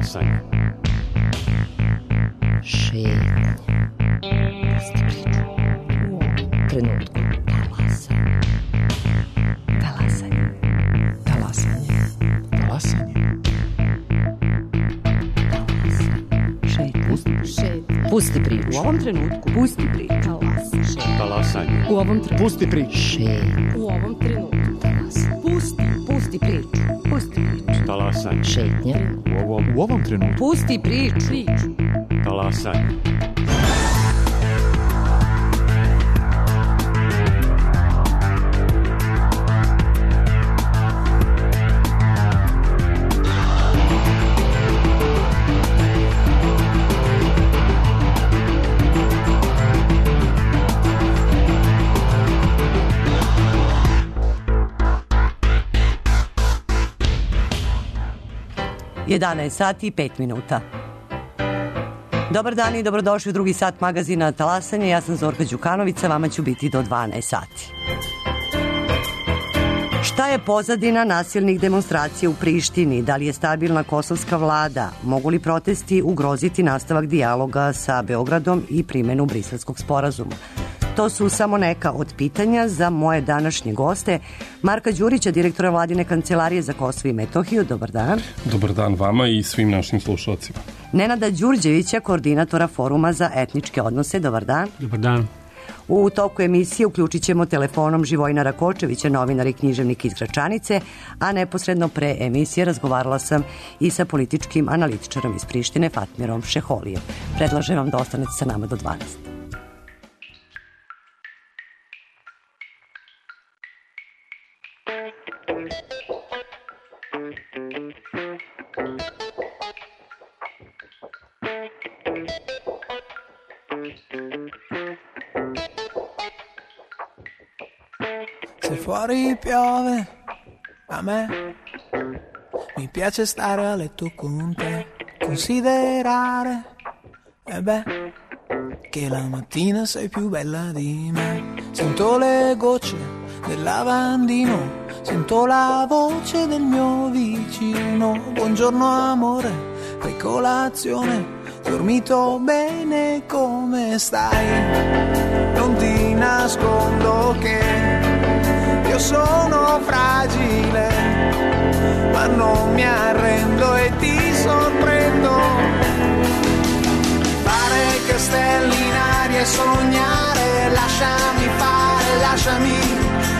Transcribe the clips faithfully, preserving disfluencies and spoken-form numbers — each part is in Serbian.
Talasanje. Šetnje. Pusti priču. U ovom trenutku. Talasanje. Talasanje. Talasanje. Talasanje. Šetnje. Pusti priču. U ovom trenutku. Pusti priču. Talasanje. U ovom trenutku. Pusti priču. Šetnje. U ovom trenutku. Talasanje. Pusti. Pusti priču. Pusti priču. Talasanje. Šetnje. U ovom, u ovom trenutku. Pusti priču. Priču. Talasanje. jedanaest sati i pet minuta. Dobar dan i dobrodošli u drugi sat magazina Talasanje. Ja sam Zorka Đukanović, a vama ću biti do dvanaest sati. Šta je pozadina nasilnih demonstracija u Prištini? Da li je stabilna kosovska vlada? Mogu li protesti ugroziti nastavak dijaloga sa Beogradom i primjenu Briselskog sporazuma? To su samo neka od pitanja za moje današnje goste. Marka Đurića, direktora Vladine kancelarije za Kosovo i Metohiju. Dobar dan. Dobar dan vama i svim našim slušalcima. Nenada Đurđevića, koordinatora Foruma za etničke odnose. Dobar dan. Dobar dan. U toku emisije uključit ćemo telefonom Živojina Rakočevića, novinar i književnik iz Gračanice, a neposredno pre emisije razgovarala sam i sa političkim analitičarom iz Prištine, Fatmirom Šeholijem. Predlažem vam da ostanete sa nama do dvanaest. Se fuori piove, a me mi piace stare a letto con te, considerare, e beh, che la mattina sei più bella di me. Sento le gocce del lavandino, sento la voce del mio vicino. Buongiorno amore, fai colazione, dormito bene, come stai? Non ti nascondo che io sono fragile, ma non mi arrendo e ti sorprendo. Fare castelli in aria e sognare, lasciami fare, lasciami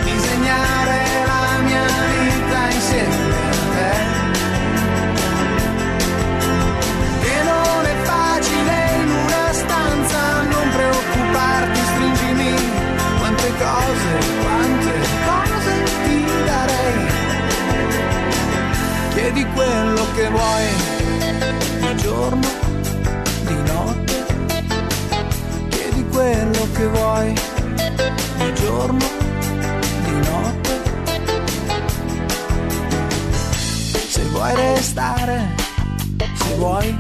disegnare la mia vita insieme a te. Che non è facile in una stanza, non preoccuparti, stringimi, quante cose, quante cose ti darei. Chiedi quello che vuoi, di giorno, di notte. Chiedi quello che vuoi, di giorno, di notte. Se vuoi restare, se vuoi,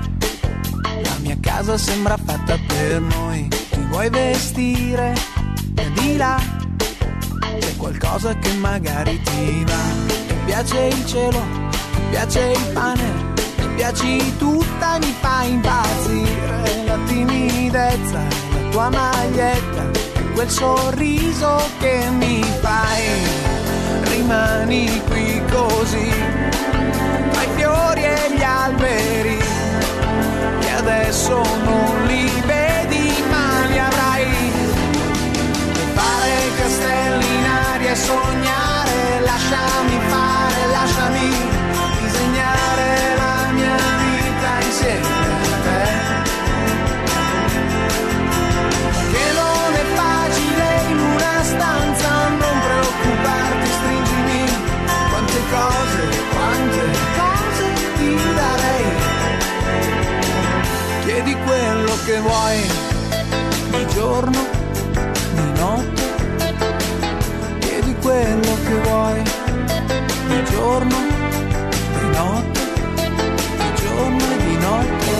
la mia casa sembra fatta per noi. Ti vuoi vestire, e di là c'è qualcosa che magari ti va. Ti piace il cielo, ti piace il pane, ti piaci tutta, mi fa impazzire la timidezza, la tua maglietta, quel sorriso che mi fai. Rimani qui così, tra i fiori e gli alberi, che adesso non li vedi ma li avrai. Fare castelli in aria e sognare, lasciami fare, lasciami disegnare la mia vita insieme a te. Che non è facile in una stanza, non preoccuparti, stringimi, quante cose, quante cose ti darei. Chiedi quello che vuoi, di giorno, di notte. Chiedi quello che vuoi, di giorno, di notte, di giorno e di notte.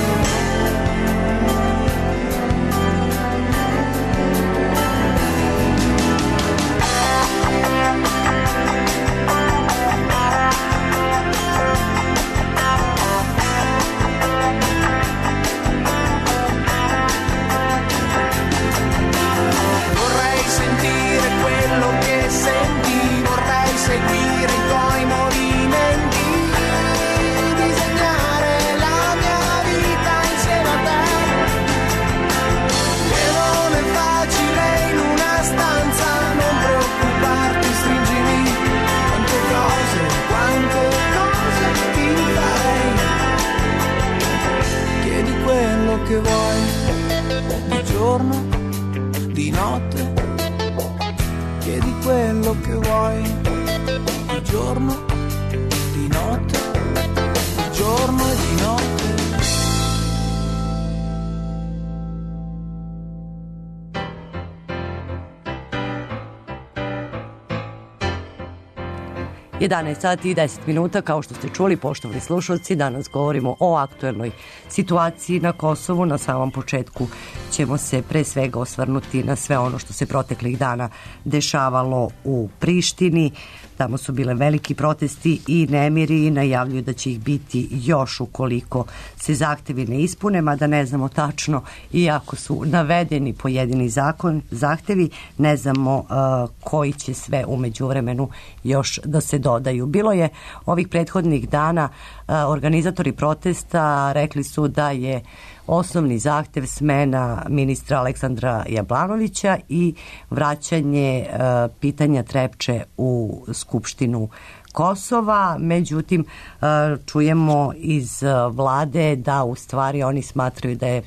quello che vuoi, di giorno, di notte, di giorno e di notte. jedanaest sati i deset minuta, kao što ste čuli, poštovani slušalci, danas govorimo o aktuelnoj situaciji na Kosovu. Na samom početku ćemo se pre svega osvrnuti na sve ono što se proteklih dana dešavalo u Prištini. Tamo su bile veliki protesti i nemiri i najavljuju da će ih biti još ukoliko se zahtevi ne ispune, mada ne znamo tačno, iako su navedeni pojedini zakon, zahtevi, ne znamo uh, koji će sve u međuvremenu još da se dodaju. Bilo je ovih prethodnih dana, uh, organizatori protesta rekli su da je osnovni zahtev smena ministra Aleksandra Jablanovića i vraćanje uh, pitanja Trepče u Skupštinu Kosova. Međutim, uh, čujemo iz uh, vlade da u stvari oni smatraju da je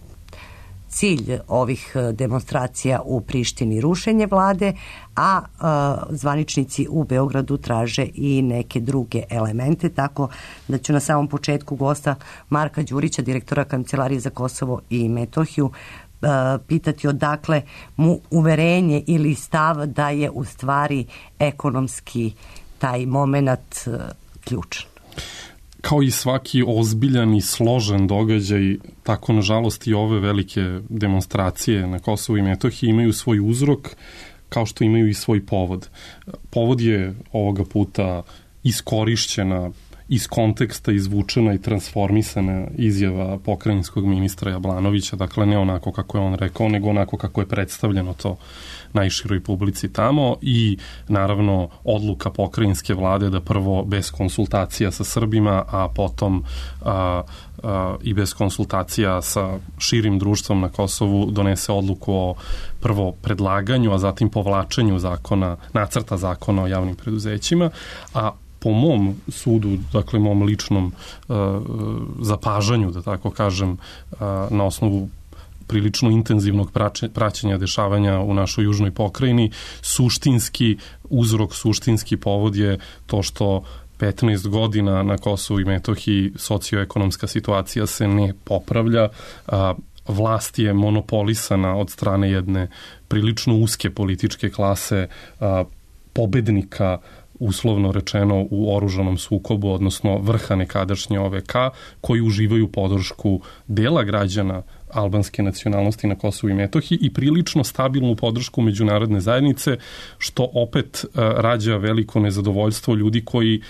cilj ovih demonstracija u Prištini rušenje vlade, a uh, zvaničnici u Beogradu traže i neke druge elemente, tako da ću na samom početku gosta Marka Đurića, direktora Kancelarije za Kosovo i Metohiju, uh, pitati odakle mu uverenje ili stav da je u stvari ekonomski taj moment uh, ključan. Kao i svaki ozbiljan i složen događaj, tako nažalost i ove velike demonstracije na Kosovu i Metohiji imaju svoj uzrok, kao što imaju i svoj povod. Povod je ovoga puta iskorišćena, iz konteksta izvučena i transformisana izjava pokrajinskog ministra Jablanovića, dakle ne onako kako je on rekao, nego onako kako je predstavljeno to najširoj publici tamo, i naravno odluka pokrajinske vlade da prvo bez konsultacija sa Srbima, a potom a, a, i bez konsultacija sa širim društvom na Kosovu donese odluku o prvo predlaganju, a zatim povlačenju zakona, nacrta zakona o javnim preduzećima, a po mom sudu, dakle mom ličnom uh, zapažanju, da tako kažem, uh, na osnovu prilično intenzivnog praćenja dešavanja u našoj južnoj pokrajini, suštinski uzrok, suštinski povod je to što petnaest godina na Kosovu i Metohiji socioekonomska situacija se ne popravlja, a vlast je monopolisana od strane jedne prilično uske političke klase, a, pobednika, uslovno rečeno, u oružanom sukobu, odnosno vrha nekadašnje O V K, koji uživaju podršku dela građana albanske nacionalnosti na Kosovu i Metohiji i prilično stabilnu podršku međunarodne zajednice, što opet uh, rađa veliko nezadovoljstvo ljudi koji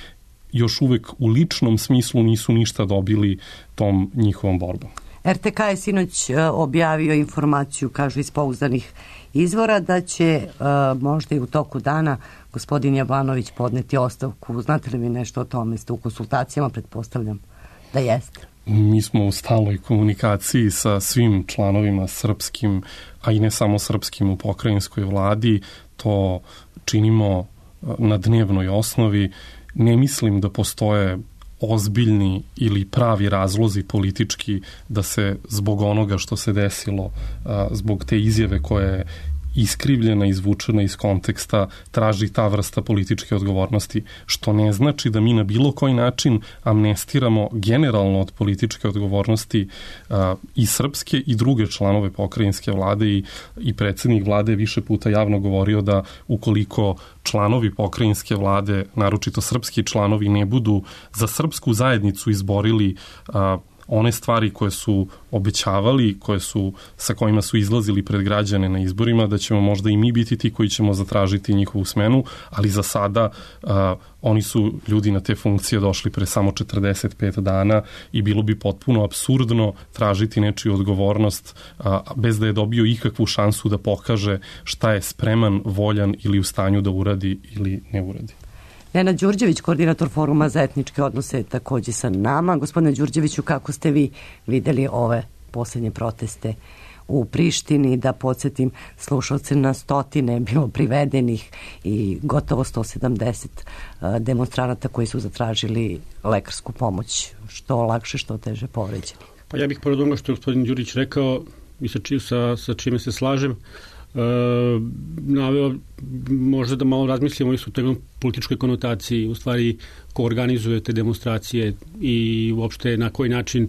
još uvek u ličnom smislu nisu ništa dobili tom njihovom borbom. R T K je sinoć uh, objavio informaciju, kažu iz pouzdanih izvora, da će uh, možda i u toku dana gospodin Jablanović podneti ostavku. Znate li mi nešto o tome? Ste u konsultacijama, pretpostavljam da jeste. Mi smo u stalnoj komunikaciji sa svim članovima srpskim, a i ne samo srpskim, u pokrajinskoj vladi. To činimo na dnevnoj osnovi. Ne mislim da postoje ozbiljni ili pravi razlozi politički da se zbog onoga što se desilo, zbog te izjave koje je iskrivljena, izvučena iz konteksta, traži ta vrsta političke odgovornosti, što ne znači da mi na bilo koji način amnestiramo generalno od političke odgovornosti uh, i srpske i druge članove pokrajinske vlade, i, i predsjednik vlade više puta javno govorio da ukoliko članovi pokrajinske vlade, naročito srpski članovi, ne budu za srpsku zajednicu izborili uh, one stvari koje su obećavali, koje su, sa kojima su izlazili pred građane na izborima, da ćemo možda i mi biti ti koji ćemo zatražiti njihovu smenu, ali za sada uh, oni su ljudi na te funkcije došli pre samo četrdeset pet dana i bilo bi potpuno apsurdno tražiti nečiju odgovornost uh, bez da je dobio ikakvu šansu da pokaže šta je spreman, voljan ili u stanju da uradi ili ne uradi. Nenad Đurđević, koordinator Foruma za etničke odnose, takođe sa nama. Gospodine Đurđeviću, kako ste vi videli ove posljednje proteste u Prištini? Da podsjetim slušalce, na stotine bilo privedenih i gotovo sto sedamdeset demonstranata koji su zatražili lekarsku pomoć, što lakše, što teže povređeni. Pa ja bih pored onoga što je gospodin Đurić rekao i sa, či, sa, sa čime se slažem, naveo možda da malo razmislimo o toj političkoj konotaciji, u stvari ko organizuje te demonstracije i uopšte na koji način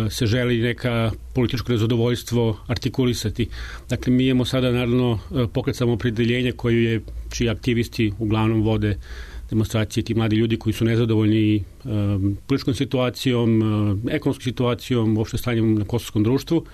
se želi neka političko nezadovoljstvo artikulisati. Dakle, mi imamo sada naravno Pokret Samoopredeljenje koju je, čiji aktivisti uglavnom vode demonstracije, ti mladi ljudi koji su nezadovoljni um, političkom situacijom, um, ekonomskom situacijom, uopšte stanjem na kosovskom društvu.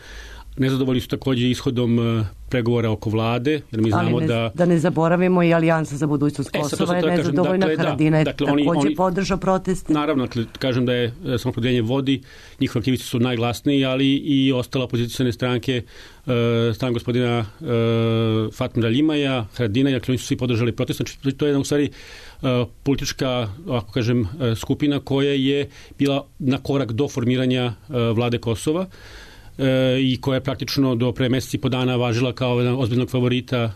Nezadovoljni su takođe ishodom uh, pregovora oko vlade, jer mi znamo ne, da... da ne zaboravimo i Alijansa za budućnost Kosova je nezadovoljna, dakle, Haradina je dakle, takođe oni, podržao proteste. Naravno, dakle, kažem da je Samoopredeljenje vodi, njihovi aktivisti su najglasniji, ali i ostala opozicijone stranke, uh, stran gospodina uh, Fatmira Ljimaja, Haradina, dakle, oni su svi podržali protest. Znači, to je u stvari uh, politička, ako kažem, uh, skupina koja je bila na korak do formiranja uh, vlade Kosova i koja je praktično do pre meseci po dana važila kao jedan ozbiljnog favorita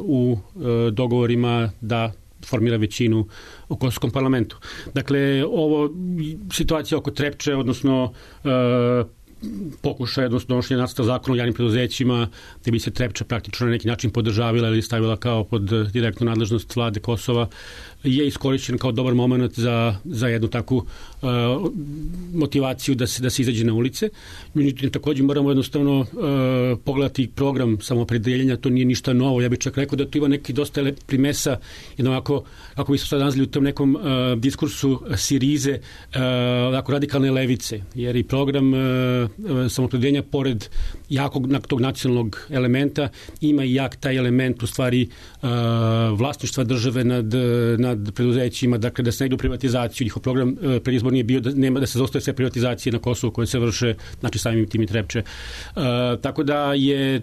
u dogovorima da formira većinu u kosovskom parlamentu. Dakle, ovo situacija oko Trepče, odnosno pokušaj, odnosno donošenje nacrta zakona o javnim preduzećima, gde bi se Trepča praktično na neki način podržavila ili stavila kao pod direktnu nadležnost vlade Kosova, je iskorišćen kao dobar moment za, za jednu takvu uh, motivaciju da se, da se izađe na ulice. Međutim, takođe moramo jednostavno uh, pogledati program Samoopredeljenja, to nije ništa novo. Ja bih čak rekao da to ima neki dosta primesa, jedno ovako, ako bi se sad nazvali u tom nekom uh, diskursu Sirize, uh, ovako radikalne levice, jer i program uh, Samoopredeljenja, pored jakog tog nacionalnog elementa, ima i jak taj element u stvari uh, vlasništva države nad, nad preduzećima, dakle da se ne ide u privatizaciju. Njihov program e, predizborni je bio da nema da se zostaje sve privatizacije na Kosovu koje se vrše, znači samim tim i Trepče. E, tako da je,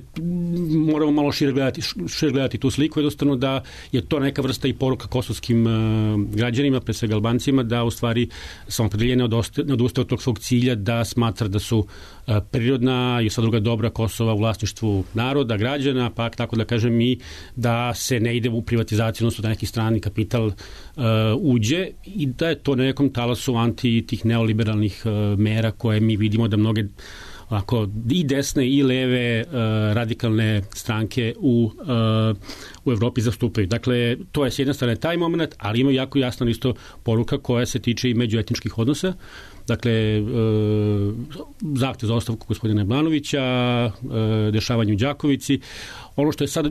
moramo malo šire gledati, šire gledati tu sliku, jednostavno da je to neka vrsta i poruka kosovskim e, građanima, pre svega Albancima, da u stvari Samoopredeljenje ne odustaje od tog svog cilja, da smatra da su e, prirodna i sva druga dobra Kosova u vlasništvu naroda, građana, pa tako da kažem i da se ne ide u privatizaciju, odnosno da neki strani kapital uh, uđe i da je to na nekom talasu anti tih neoliberalnih uh, mera koje mi vidimo da mnoge ovako, i desne i leve uh, radikalne stranke u, uh, u Evropi zastupaju. Dakle, to je s jedne strane taj moment, ali ima jako jasna isto poruka koja se tiče i međuetničkih odnosa. Dakle, e, zahtev za ostavku gospodina Blanovića, e, dešavanje u Đakovici. Ono što je sad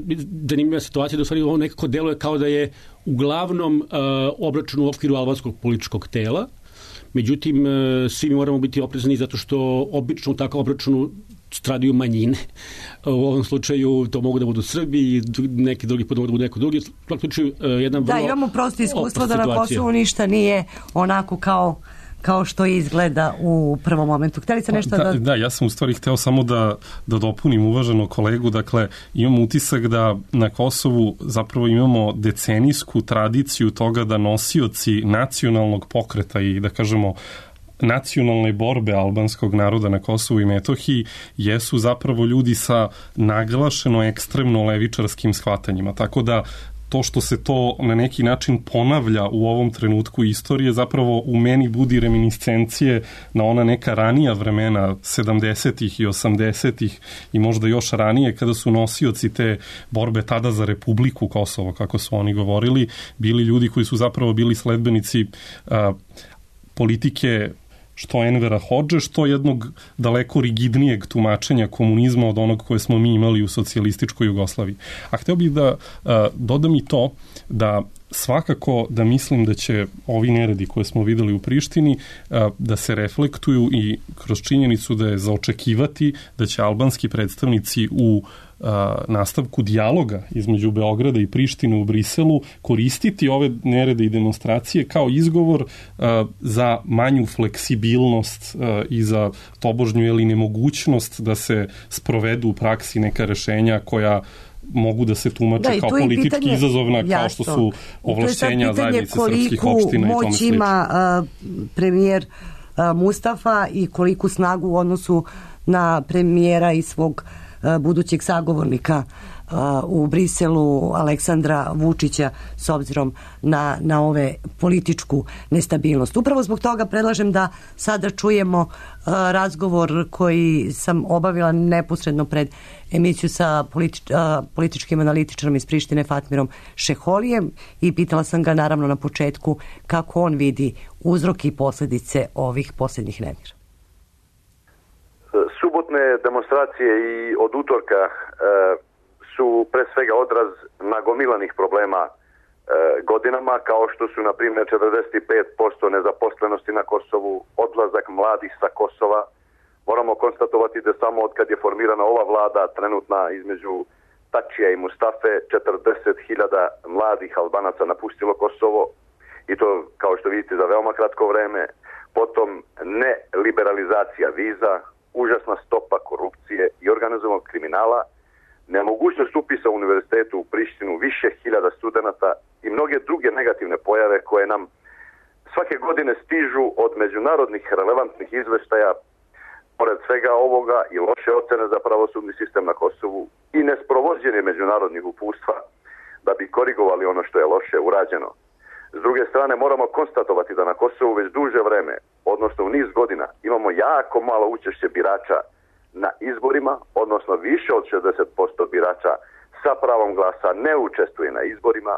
zanimljiva situacija da u stvari ovo nekako deluje kao da je uglavnom e, obračun u okviru albanskog političkog tela. Međutim, e, svi mi moramo biti oprezni zato što obično u takvom obračunu stradaju manjine. U ovom slučaju to mogu da budu Srbi i neki drugi put mogu da budu neko drugi. U svakom slučaju e, jedna vrlo... Da, imamo prosto iskustvo da na Kosovu ništa nije onako kao kao što izgleda u prvom momentu. Hteli se nešto da... da... Da, ja sam u stvari hteo samo da, da dopunim uvaženog kolegu. Dakle, imamo utisak da na Kosovu zapravo imamo decenijsku tradiciju toga da nosioci nacionalnog pokreta i da kažemo nacionalne borbe albanskog naroda na Kosovu i Metohiji jesu zapravo ljudi sa naglašeno ekstremno levičarskim shvatanjima. Tako da to što se to na neki način ponavlja u ovom trenutku istorije zapravo u meni budi reminiscencije na ona neka ranija vremena sedamdesetih i osamdesetih i možda još ranije kada su nosioci te borbe tada za Republiku Kosovo, kako su oni govorili, bili ljudi koji su zapravo bili sledbenici a, politike što Envera Hodže, što jednog daleko rigidnijeg tumačenja komunizma od onog koje smo mi imali u socijalističkoj Jugoslaviji. A hteo bih da a, dodam i to da svakako da mislim da će ovi neredi koje smo videli u Prištini a, da se reflektuju i kroz činjenicu da je za očekivati da će albanski predstavnici u nastavku dijaloga između Beograda i Prištine u Briselu koristiti ove nerede i demonstracije kao izgovor uh, za manju fleksibilnost uh, i za tobožnju ili nemogućnost da se sprovedu u praksi neka rešenja koja mogu da se tumače da, kao politički pitanje, izazovna, jasno, kao što su ovlašćenja zajednice srpskih opština i tome moć ima uh, premijer uh, Mustafa i koliku snagu u odnosu na premijera i svog budućeg sagovornika u Briselu Aleksandra Vučića s obzirom na, na ove političku nestabilnost. Upravo zbog toga predlažem da sada čujemo razgovor koji sam obavila neposredno pred emisiju sa politič, političkim analitičarom iz Prištine Fatmirom Šeholijem i pitala sam ga naravno na početku kako on vidi uzroke i posledice ovih posljednjih nemira. Subotne demonstracije i od utorka e, su pre svega odraz nagomilanih problema e, godinama, kao što su na primjer četrdeset pet posto nezaposlenosti na Kosovu, odlazak mladih sa Kosova. Moramo konstatovati da samo od kad je formirana ova vlada trenutna između Tačija i Mustafe četrdeset hiljada mladih Albanaca napustilo Kosovo i to kao što vidite za veoma kratko vreme. Potom neliberalizacija viza, užasna stopa korupcije i organizovanog kriminala, nemogućnost upisa u univerzitetu u Prištinu, više hiljada studenata i mnoge druge negativne pojave koje nam svake godine stižu od međunarodnih relevantnih izveštaja. Pored svega ovoga i loše ocene za pravosudni sistem na Kosovu i nesprovođenje međunarodnih uputstva da bi korigovali ono što je loše urađeno. S druge strane, moramo konstatovati da na Kosovu već duže vreme, odnosno u niz godina, imamo jako malo učešće birača na izborima, odnosno više od šezdeset posto birača sa pravom glasa ne učestvuje na izborima.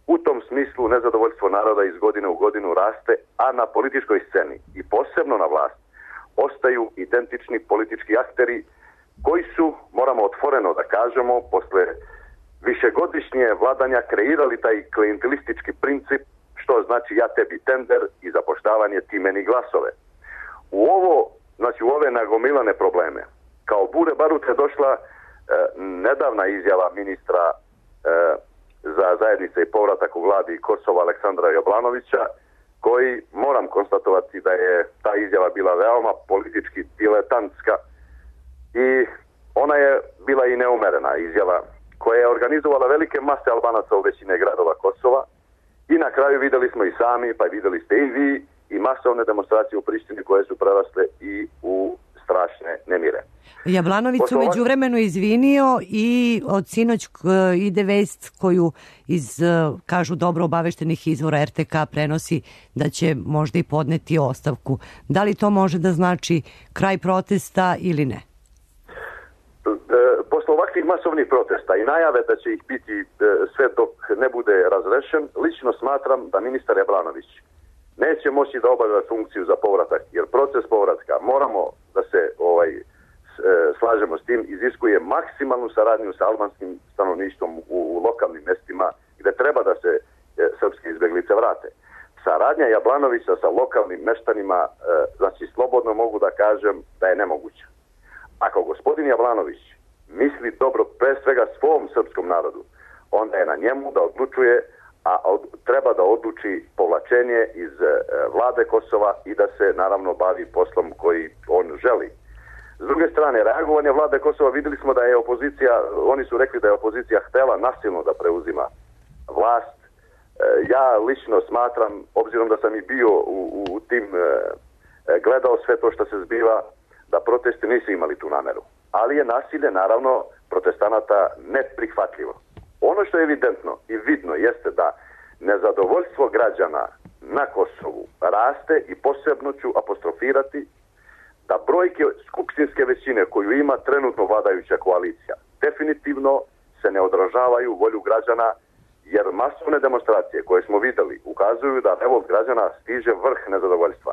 U tom smislu nezadovoljstvo naroda iz godine u godinu raste, a na političkoj sceni i posebno na vlast ostaju identični politički akteri koji su, moramo otvoreno da kažemo, posle višegodišnje vladanja kreirali taj klijentelistički princip, što znači ja tebi tender i zapoštavanje ti meni glasove. U ovo, znači u ove nagomilane probleme, kao bure barute došla e, nedavna izjava ministra e, za zajednice i povratak u vladi Kosova Aleksandra Jablanovića, koji moram konstatovati da je ta izjava bila veoma politički diletantska i ona je bila i neumerena izjava koja je organizovala velike mase Albanaca u većine gradova Kosova i na kraju videli smo i sami, pa videli ste i vi, i masovne demonstracije u Prištini koje su prerasle i u strašne nemire. Jablanović se među vremenu izvinio i od sinoć ide vest koju iz, kažu dobro obaveštenih izvora er te ka prenosi da će možda i podneti ostavku. Da li to može da znači kraj protesta ili ne? Posle ovakvih masovnih protesta i najave da će ih biti sve dok ne bude razrešen, lično smatram da ministar Jablanović neće moći da obavlja funkciju za povratak, jer proces povratka, moramo da se ovaj, slažemo s tim, iziskuje maksimalnu saradnju sa albanskim stanovništvom u, u lokalnim mestima gde treba da se e, srpske izbeglice vrate. Saradnja Jablanovića sa lokalnim meštanima, e, znači slobodno mogu da kažem da je nemoguća. Ako gospodin Jablanović misli dobro pre svega svom srpskom narodu, onda je na njemu da odlučuje, a od, treba da odluči povlačenje iz e, vlade Kosova i da se naravno bavi poslom koji on želi. S druge strane, reagovanje vlade Kosova, videli smo da je opozicija, oni su rekli da je opozicija htela nasilno da preuzima vlast. E, ja lično smatram, obzirom da sam i bio u, u tim, e, gledao sve to što se zbiva, da protesti nisu imali tu nameru. Ali je nasilje, naravno, protestanata neprihvatljivo. Ono što je evidentno i vidno jeste da nezadovoljstvo građana na Kosovu raste i posebno ću apostrofirati da brojke skupštinske većine koju ima trenutno vladajuća koalicija definitivno se ne odražavaju volju građana, jer masovne demonstracije koje smo videli ukazuju da revolt građana stiže vrh nezadovoljstva.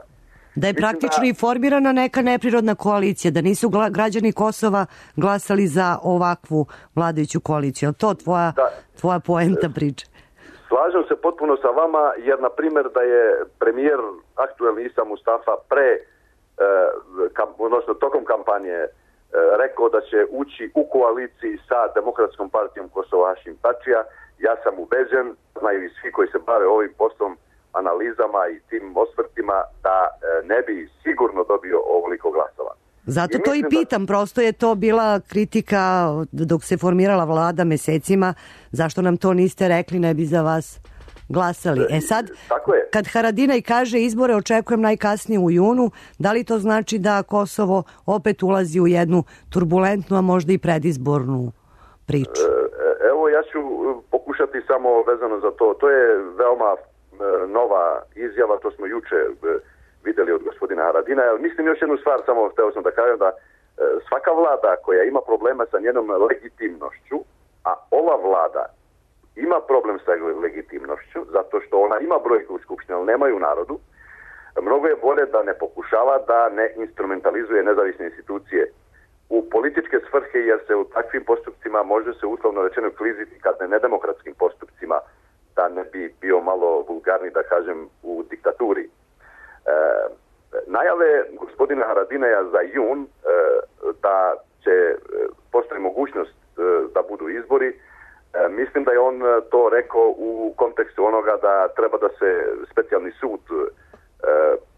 Da je praktično da... i formirana neka neprirodna koalicija, da nisu građani Kosova glasali za ovakvu vladajuću koaliciju. To tvoja, da. tvoja poenta priče. Slažem se potpuno sa vama, jer na primjer da je premijer aktuelni Isa Mustafa pre Kam, odnosno tokom kampanje e, rekao da će ući u koaliciji sa Demokratskom partijom Kosova Hašim Tačija, ja sam ubeđen, znaju i svi koji se bave ovim poslom, analizama i tim osvrtima, da e, ne bi sigurno dobio ovoliko glasova. Zato I to i pitam, da... prosto je to bila kritika dok se formirala vlada mesecima, zašto nam to niste rekli, ne bi za vas glasali. E sad, kad Haradinaj kaže izbore očekujem najkasnije u junu, da li to znači da Kosovo opet ulazi u jednu turbulentnu, a možda i predizbornu priču? E, ja ću pokušati samo vezano za to. To je veoma nova izjava, to smo juče videli od gospodina Haradina. Mislim još jednu stvar, samo hteo sam da kažem da svaka vlada koja ima problema sa njenom legitimnošću, a ova vlada ima problem sa legitimnošću, zato što ona ima brojke u Skupštini, ali nemaju u narodu, mnogo je bolje da ne pokušava da ne instrumentalizuje nezavisne institucije u političke svrhe, jer se u takvim postupcima može se uslovno rečeno kliziti kad ne nedemokratskim postupcima, da ne bi bio malo vulgarni, da kažem, u diktaturi. E, najave gospodina Haradinaja za jun e, da će postoji mogućnost e, da budu izbori. E, mislim da je on to rekao u kontekstu onoga da treba da se specijalni sud e,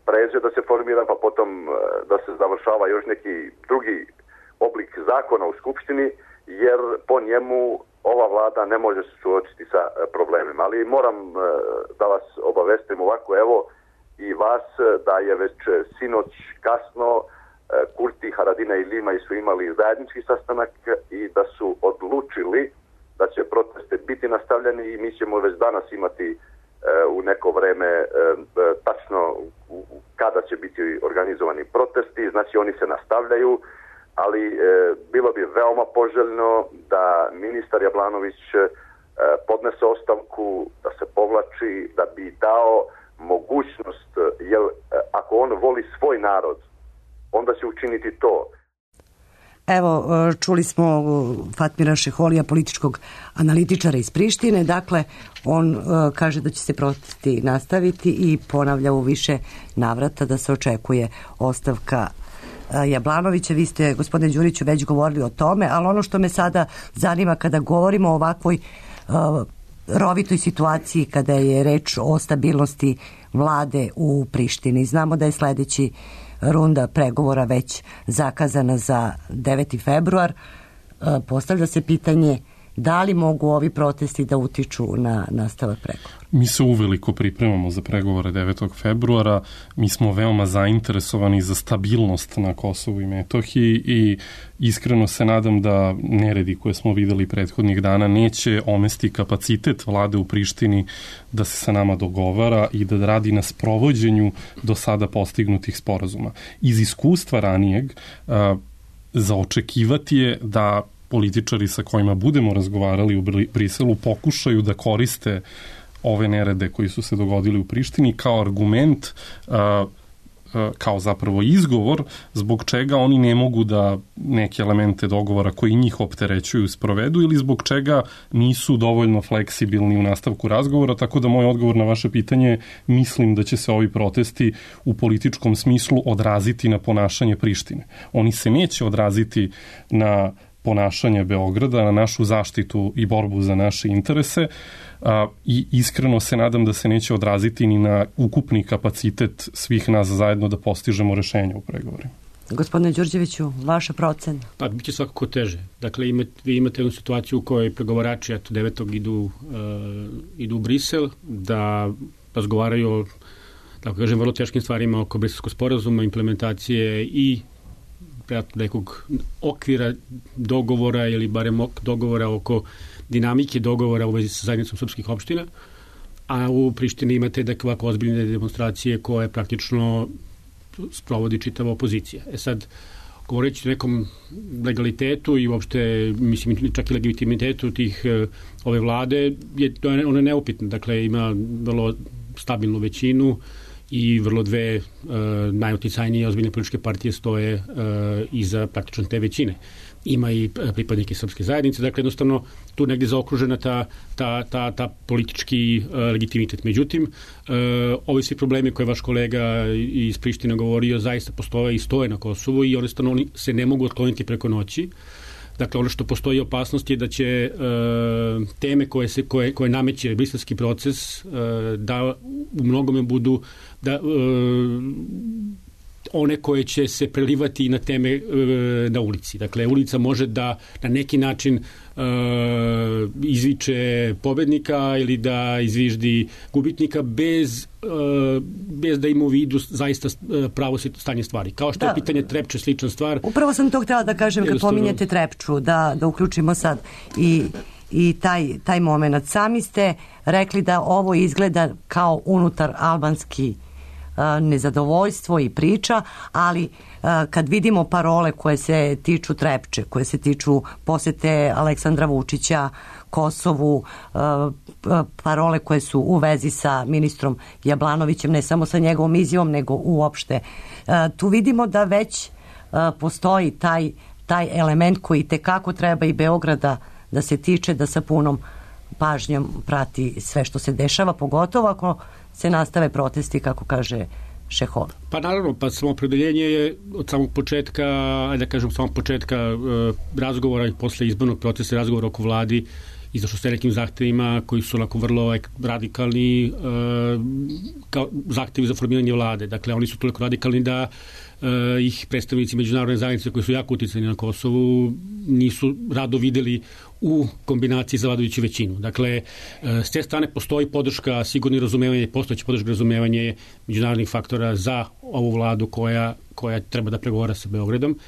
pređe, da se formira, pa potom e, da se završava još neki drugi oblik zakona u Skupštini, jer po njemu ova vlada ne može se suočiti sa problemima. Ali moram da vas obavestim ovako, evo i vas, da je već sinoć kasno Kurti, Haradina i Limaj su imali zajednički sastanak i da su odlučili da će proteste biti nastavljeni i mi ćemo već danas imati u neko vreme tačno kada će biti organizovani protesti, znači oni se nastavljaju. Ali e, bilo bi veoma poželjno da ministar Jablanović e, podnese ostavku, da se povlači, da bi dao mogućnost, jer e, ako on voli svoj narod, onda će učiniti to. Evo, čuli smo Fatmira Šeholija, političkog analitičara iz Prištine. Dakle, on e, kaže da će se protesti nastaviti i ponavlja u više navrata da se očekuje ostavka Jablanovića. Vi ste, gospodine Đuriću, već govorili o tome, ali ono što me sada zanima kada govorimo o ovakvoj uh, rovitoj situaciji, kada je reč o stabilnosti vlade u Prištini. Znamo da je sledeći runda pregovora već zakazana za deveti februar. Uh, postavlja se pitanje da li mogu ovi protesti da utiču na nastavak pregovora? Mi se uveliko pripremamo za pregovore devetog februara. Mi smo veoma zainteresovani za stabilnost na Kosovu i Metohiji i iskreno se nadam da neredi koje smo videli prethodnih dana neće omesti kapacitet vlade u Prištini da se sa nama dogovara i da radi na sprovođenju do sada postignutih sporazuma. Iz iskustva ranijeg a, za očekivati je da političari sa kojima budemo razgovarali u Briselu pokušaju da koriste ove nerede koji su se dogodili u Prištini kao argument, kao zapravo izgovor zbog čega oni ne mogu da neke elemente dogovora koji njih opterećuju sprovedu ili zbog čega nisu dovoljno fleksibilni u nastavku razgovora, tako da moj odgovor na vaše pitanje, mislim da će se ovi protesti u političkom smislu odraziti na ponašanje Prištine. Oni se neće odraziti na ponašanje Beograda, na našu zaštitu i borbu za naše interese a, i iskreno se nadam da se neće odraziti ni na ukupni kapacitet svih nas zajedno da postižemo rešenje u pregovorima. Gospodine Đurđeviću, vaša procena? Pa, bit će svakako teže. Dakle, imate, vi imate jednu situaciju u kojoj pregovarači eto, devetog idu, uh, idu u Brisel, da razgovaraju o, tako kažem, vrlo teškim stvarima oko briselskog sporazuma, implementacije i nekog okvira dogovora ili barem dogovora oko dinamike dogovora u vezi sa zajednicom srpskih opština, a u Prištini imate dakle ovako ozbiljne demonstracije koje praktično sprovodi čitava opozicija. E sad, govoreći o nekom legalitetu i uopšte, mislim, čak i legitimitetu tih ove vlade, je, ona je neupitna. Dakle, ima vrlo stabilnu većinu i vrlo dve e, najuticajnije ozbiljne političke partije stoje e, iza praktično te većine. Ima i pripadnike srpske zajednice, dakle jednostavno tu negdje zaokružena ta, ta, ta, ta politički e, legitimitet. Međutim, e, ovi svi problemi koje vaš kolega iz Prištine govorio zaista postoje i stoje na Kosovu i jednostavno oni se ne mogu otkloniti preko noći. Dakle, ono što postoji opasnost je da će e, teme koje, se, koje, koje nameće briselski proces e, da u mnogome budu da e, one koje će se prelivati na teme e, na ulici. Dakle, ulica može da na neki način e, izviče pobednika ili da izviždi gubitnika bez, e, bez da ima u vidu zaista pravo stanje stvari. Kao što da. je pitanje Trepče slična stvar. Upravo sam to htjela da kažem kad pominjete Trepču, da, da uključimo sad i i taj, taj moment. Sami ste rekli da ovo izgleda kao unutar albanski nezadovoljstvo i priča, ali kad vidimo parole koje se tiču Trepče, koje se tiču posete Aleksandra Vučića Kosovu, parole koje su u vezi sa ministrom Jablanovićem, ne samo sa njegovom izjavom, nego uopšte, tu vidimo da već postoji taj, taj element koji tekako treba i Beograda da se tiče, da sa punom pažnjom prati sve što se dešava, pogotovo ako se nastave protesti, kako kaže Šehol. Pa naravno, pa samoopredeljenje je od samog početka, ajde da kažem, od samog početka e, razgovora i posle izbornog procesa razgovora oko vladi izašlo sa nekim zahtevima koji su onako vrlo radikalni e, kao zahtevi za formiranje vlade. Dakle, oni su toliko radikalni da e, ih predstavnici međunarodne zajednice koji su jako uticani na Kosovu nisu rado videli u kombinaciji za vladajuću većinu. Dakle, s te strane postoji podrška, sigurno razumevanje, postojeće podrška razumevanje međunarodnih faktora za ovu vladu koja, koja treba da pregovara sa Beogradom.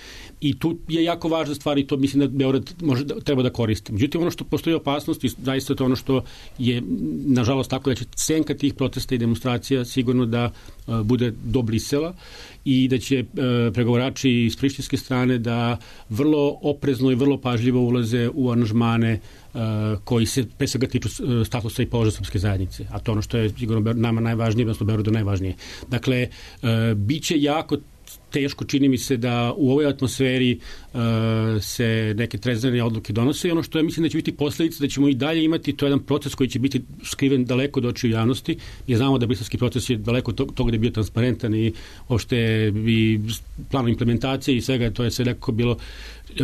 I tu je jako važna stvar i to mislim da Beograd može da, treba da koristi. Međutim, ono što postoji opasnost i zaista to ono što je, nažalost, tako da će senka tih protesta i demonstracija sigurno da uh, bude do Brisela i da će uh, pregovarači iz prištinske strane da vrlo oprezno i vrlo pažljivo ulaze u aranžmane uh, koji se pre svega tiču uh, statusa i položaja srpske zajednice. A to ono što je sigurno nama najvažnije, odnosno Beogradu najvažnije. Dakle, uh, biće jako teško, čini mi se da u ovoj atmosferi uh, se neke trezvene odluke donose i ono što ja mislim da će biti posledica da ćemo i dalje imati, to je jedan proces koji će biti skriven daleko od očiju javnosti. Mi znamo da briselski proces je daleko od toga da je bio transparentan i uopšte i planom implementacije i svega, to je sve nekako bilo uh,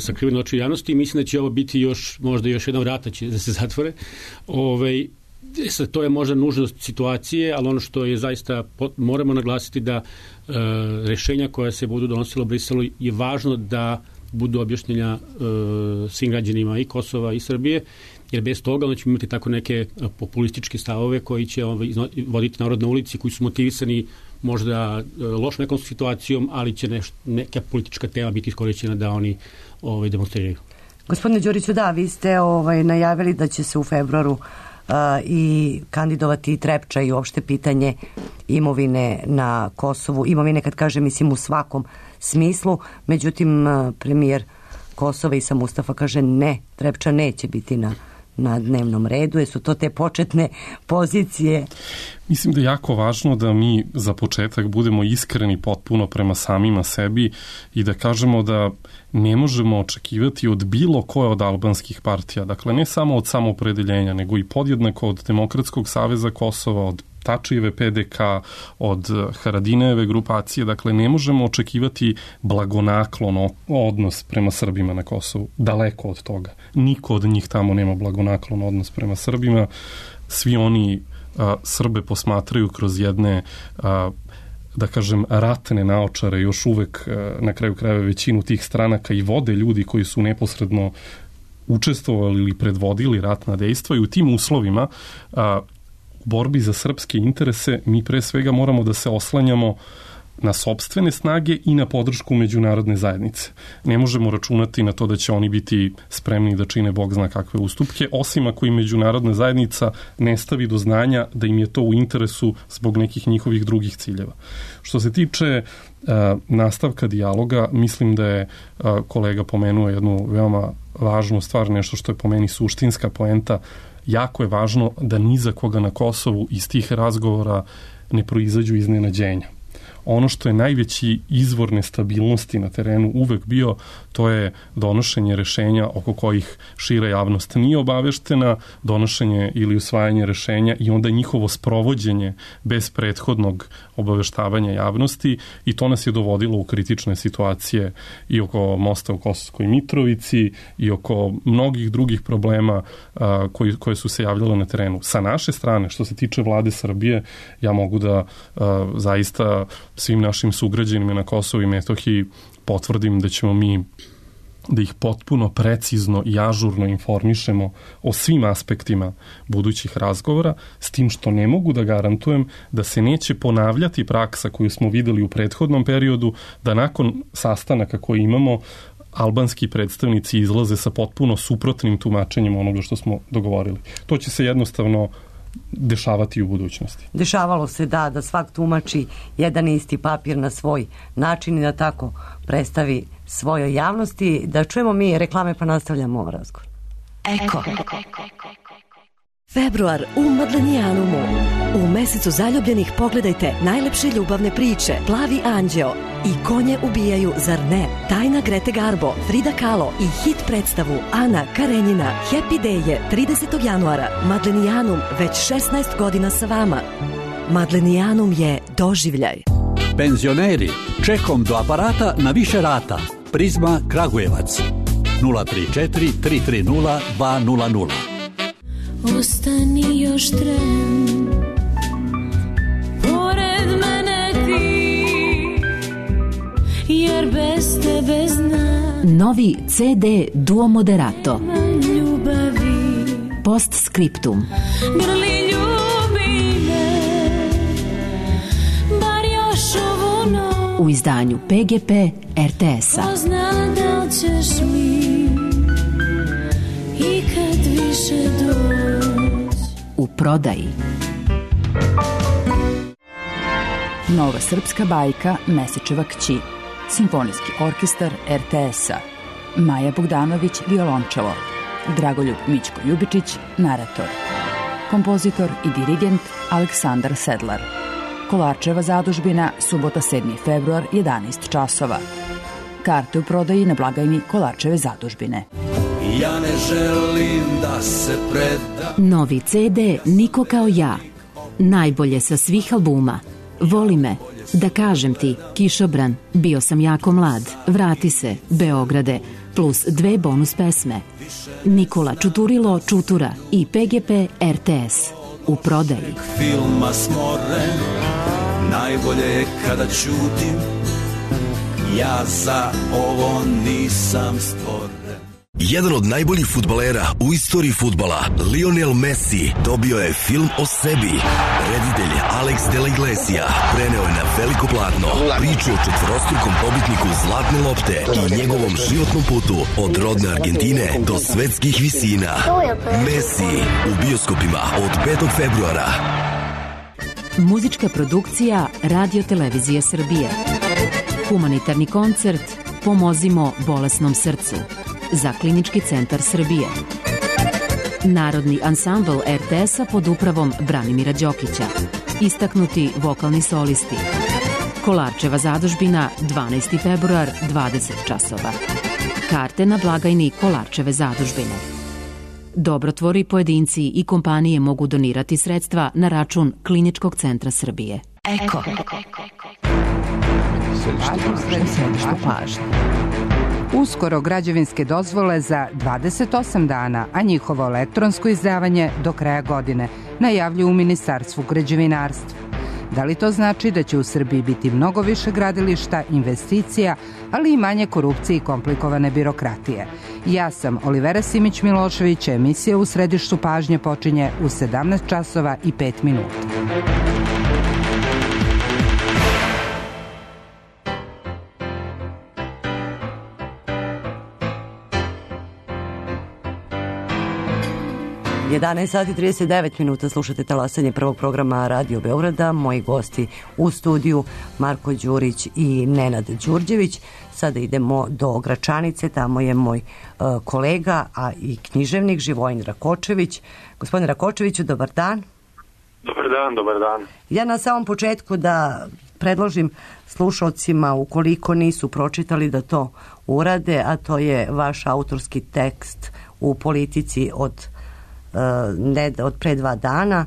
sakriveno od očiju javnosti i mislim da će ovo biti još, možda još jedna vrata će da se zatvore. Ovaj, Sad, to je možda nužnost situacije, ali ono što je zaista, moramo naglasiti da e, rešenja koja se budu donosila u Briselu je važno da budu objašnjenja e, svim građanima i Kosova i Srbije, jer bez toga onda ćemo imati tako neke populističke stavove koji će ovaj, voditi narod na ulici, koji su motivisani možda e, lošom nekom situacijom, ali će neš, neka politička tema biti iskorišćena da oni ovaj, demonstriraju. Gospodine Đuriću, da, vi ste ovaj, najavili da će se u februaru Uh, i kandidovati Trepča i uopšte pitanje imovine na Kosovu. Imovine, kad kaže, mislim u svakom smislu. Međutim, uh, premijer Kosova Isa Mustafa kaže ne, Trepča neće biti na, na dnevnom redu. Jesu to te početne pozicije? Mislim da je jako važno da mi za početak budemo iskreni potpuno prema samima sebi i da kažemo da ne možemo očekivati od bilo koje od albanskih partija, dakle ne samo od samoopredeljenja, nego i podjednako od Demokratskog saveza Kosova, od Tačijeve P D K, od Haradinejeve grupacije, dakle ne možemo očekivati blagonaklon odnos prema Srbima na Kosovu, daleko od toga. Niko od njih tamo nema blagonaklon odnos prema Srbima, svi oni a, Srbe posmatraju kroz jedne a, da kažem, ratne naočare, još uvek na kraju krajeva većinu tih stranaka i vode ljudi koji su neposredno učestvovali ili predvodili ratna dejstva i u tim uslovima a, u borbi za srpske interese mi pre svega moramo da se oslanjamo na sopstvene snage i na podršku međunarodne zajednice. Ne možemo računati na to da će oni biti spremni da čine Bog zna kakve ustupke, osim ako i međunarodna zajednica ne stavi do znanja da im je to u interesu zbog nekih njihovih drugih ciljeva. Što se tiče uh, nastavka dijaloga, mislim da je uh, kolega pomenuo jednu veoma važnu stvar, nešto što je po meni suštinska poenta. Jako je važno da ni za koga na Kosovu iz tih razgovora ne proizađu iznenađenja. Ono što je najveći izvor nestabilnosti na terenu uvek bio, to je donošenje rešenja oko kojih šira javnost nije obaveštena, donošenje ili usvajanje rešenja i onda njihovo sprovođenje bez prethodnog obaveštavanja javnosti i to nas je dovodilo u kritične situacije i oko mosta u Kosovskoj Mitrovici i oko mnogih drugih problema a, koji, koje su se javljale na terenu. Sa naše strane, što se tiče vlade Srbije, ja mogu da a, zaista svim našim sugrađanima na Kosovu i Metohiji potvrdim da ćemo mi da ih potpuno precizno i ažurno informišemo o svim aspektima budućih razgovora, s tim što ne mogu da garantujem da se neće ponavljati praksa koju smo videli u prethodnom periodu, da nakon sastanaka koje imamo albanski predstavnici izlaze sa potpuno suprotnim tumačenjem onoga što smo dogovorili. To će se jednostavno dešavati u budućnosti. Dešavalo se da, da svak tumači jedan isti papir na svoj način i da tako predstavi svojoj javnosti. Da čujemo mi reklame pa nastavljamo razgovor. Eko. Februar u Madlenijanumu. U mesecu zaljubljenih pogledajte najlepše ljubavne priče Plavi anđeo i Konje ubijaju, zar ne? Tajna Grete Garbo, Frida Kahlo i hit predstavu Ana Karenjina. Happy Day je tridesetog januara. Madlenijanum već šesnaest godina sa vama. Madlenijanum je doživljaj. Penzioneri, čekom do aparata na više rata. Prizma Kragujevac. nula tri četiri tri tri nula dva nula nula. Ostani još tren, pored mene ti, jer bez tebe znam. Novi ce de Duo Moderato. Ljubavi. Postscriptum. Grli ljubi me, bar još ovu noć. U izdanju pe ge pe er te es-a. Ko zna da li ćeš mi ikad više doći. U prodaji. Nova srpska bajka Mesečeva kći. Simfonijski orkestar er te es-a. Maja Bogdanović, violončelo. Dragoljub Mićko Ljubičić, narator. Kompozitor i dirigent Aleksandar Sedlar. Kolarčeva zadužbina, subota sedmi februar, jedanaest časova. Karte u prodaji na blagajni Kolarčeve zadužbine. Ja ne želim da se predam. Novi ce de Niko kao ja. Najbolje sa svih albuma. Voli me, da kažem ti, Kišobran, bio sam jako mlad, vrati se, Beograde, plus dve bonus pesme. Nikola Čuturilo Čutura i pe ge pe er te es. U prodaji. Filma smoren, najbolje je kada ćutim. Ja za ovo nisam stvoren. Jedan od najboljih fudbalera u istoriji fudbala, Lionel Messi, dobio je film o sebi. Reditelj Alex de la Iglesia preneo je na veliko platno priču o četvorostrukom pobitniku Zlatne lopte i njegovom životnom putu od rodne Argentine do svetskih visina. Messi u bioskopima od petog februara. Muzička produkcija Radio Televizije Srbije. Humanitarni koncert Pomozimo bolesnom srcu za Klinički centar Srbije. Narodni ansambl er te es-a pod upravom Branimira Đokića. Istaknuti vokalni solisti. Kolarčeva zadužbina, dvanaesti februar, dvadeset časova. Karte na blagajni Kolarčeve zadužbine. Dobrotvori, pojedinci i kompanije mogu donirati sredstva na račun Kliničkog centra Srbije. Eko. Središte pažnje. Uskoro građevinske dozvole za dvadeset osam dana, a njihovo elektronsko izdavanje do kraja godine, najavljuju u Ministarstvu građevinarstva. Da li to znači da će u Srbiji biti mnogo više gradilišta, investicija, ali i manje korupcije i komplikovane birokratije? Ja sam Olivera Simić-Milošević, emisija U središtu pažnje počinje u sedamnaest časova i pet minuta. jedanaest sati i trideset devet minuta, slušate talasanje prvog programa Radio Beograda. Moji gosti u studiju Marko Đurić i Nenad Đurđević. Sada idemo do Gračanice, tamo je moj uh, kolega, a i književnik Živojin Rakočević. Gospodine Rakočeviću, dobar dan. Dobar dan, dobar dan. Ja na samom početku da predložim slušalcima, ukoliko nisu pročitali, da to urade, a to je vaš autorski tekst u Politici od ne od pre dva dana,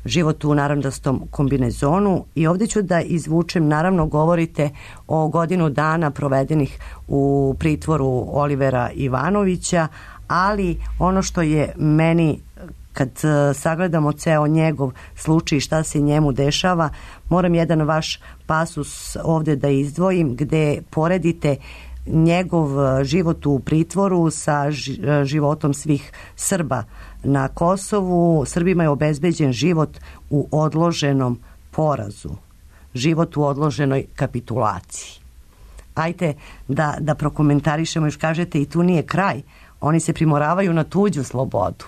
Život u narandastom kombinezonu, i ovdje ću da izvučem, naravno govorite o godinu dana provedenih u pritvoru Olivera Ivanovića, ali ono što je meni, kad sagledamo ceo njegov slučaj, šta se njemu dešava, moram jedan vaš pasus ovdje da izdvojim, gde poredite njegov život u pritvoru sa životom svih Srba na Kosovu. Srbima je obezbeđen život u odloženom porazu, život u odloženoj kapitulaciji. ajte da, da prokomentarišemo, još kažete i tu nije kraj. Oni se primoravaju na tuđu slobodu.